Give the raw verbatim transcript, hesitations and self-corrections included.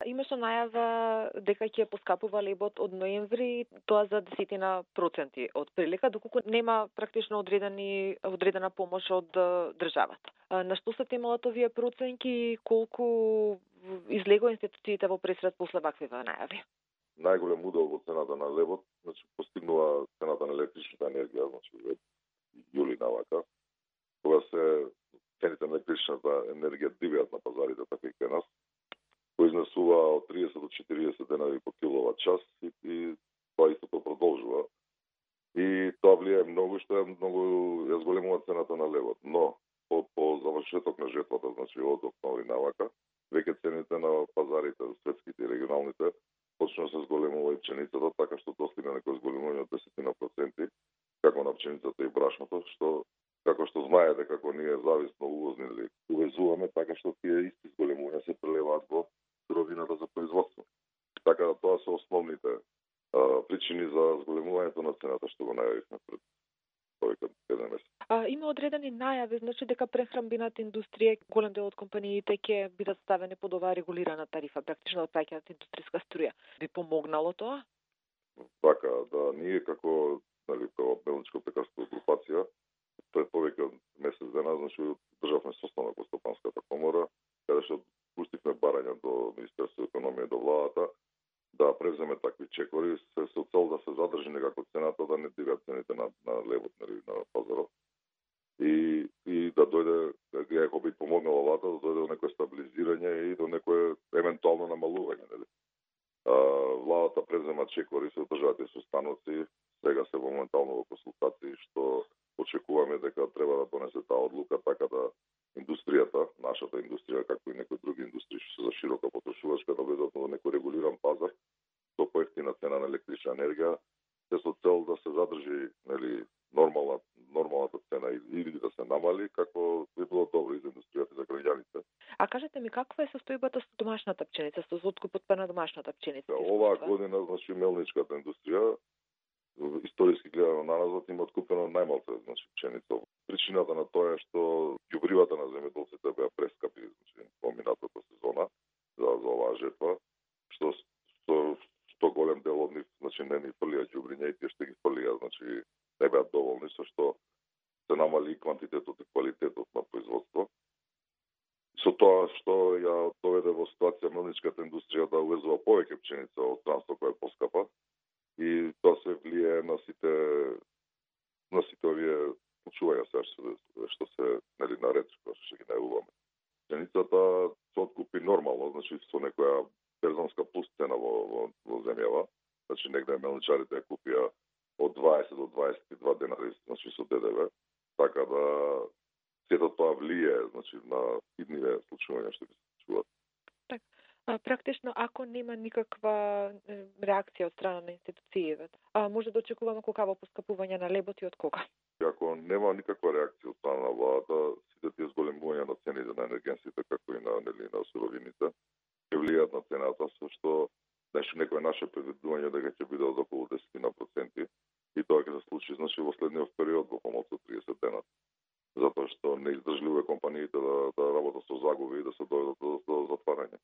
имаше најава дека ќе поскапува лебот од ноември, тоа за десетина проценти од прилика, доколку нема практично одредени одредена помош од државата. На што се темалат овие проценки, колку излегува институциите во пресред после ваквива најави? Најголем удел во цената на лебот, значи постигнува цената на електричната енергија, значи од јули навака, кога се цените на електричната енергија дивеат на пазарите, така и кај нас, кој изнесува од триесет до четириесет денари по киловат час и, и тоа истото продолжува. И тоа влијае многу, што е многу ја зголемува цената на левот. Но по, по завршеток на жетвата, значи од октомври навака, веќе цените на пазарите, светските и регионалните, почна да се зголемува и пченицата, така што достигна некој зголемување од десет проценти, како на пченицата и брашното, што како што знаете како ние зависно увозни или увезуваме, така што тие исти зголемувања се прелеваат во суровината за производство. Така да тоа се основните а, причини за зголемувањето на цената што го најавивме пред повеќе еден месец. А, има одредени најави, значи дека прехрамбената индустрија, голем дел од компаниите ќе бидат ставени под оваа регулирана тарифа, практично од паѓаат индустријска струја. Би помогнало тоа? Така, да ние како, нели, како мелничко-пекарска групација пред повеќе од месец дена, значи државме состанок во Стопанската комора, каде што пуштивме барања до Министерството економија и до владата да превземе такви чекори се со цел да се задржи некако цената, да не дивеат цените на, на левот, нели, на пазарот. И, и да дојде, ако би помогнала владата, да дојде до некое стабилизирање и до некое евентуално намалување, нели. А, владата превзема чекори со државите состаноци, сега се моментално во консултации што очекуваме дека треба да донесе таа одлука така да индустријата, нашата индустрија, както и некои други индустрии што се за широка потрошувачка, да влезат во некој регулиран пазар со поевтина цена на електрична енергија, се со цел да се задржи, нели, нормална нормалната цена или да се намали, како би било добро и за индустријата и за граѓаните. А кажете ми, каква е состојбата со домашната пченица, со откупот на домашната пченица? Оваа година, значи, мелничката индустрија, историски гледано наназад, има откупено најмалку, значи, пченица. Причината на тоа е што ѓубривата на земјоделците беа прескапи, значи, во минатата сезона за, за оваа жетва, што што, што голем дел од нив, значи, не ни фрлија ѓубриња и тие што ги фрлија, значи, не беа доволни, со што се намали и квантитетот и квалитетот на производство. Со тоа што ја доведе во ситуација мелничката индустрија да увезува повеќе пченица од странство која е поскапа, и тоа се влијае на сите на сите овие почувања сега што, што се, нели, наред, што ќе ги најавуваме. Пченицата се откупи нормално, значи со некоја берзанска плюс цена во, во, во земјава, значи негде мелничарите ја купија од дваесет до дваесет и два денари, значи со ДДВ, така да сето тоа влијае, значи, на идниве случувања што ги се случуваат. Практично, ако нема никаква реакција од страна на институциите, може да очекуваме колкаво поскапување на лебот и од кога? Ако нема никаква реакција од страна на владата, сите тие зголемувања на цените на енергенсите, како и на, нели, на суровините, ќе влијаат на цената, со што нешто некој наше предвидување дека ќе биде од околу десет проценти и тоа ќе се случи, значи, во следниот период, во помалку од триесет дена. Затоа што не издржливе компаниите да, да работат со загуби и да се дојдат до, до затварање.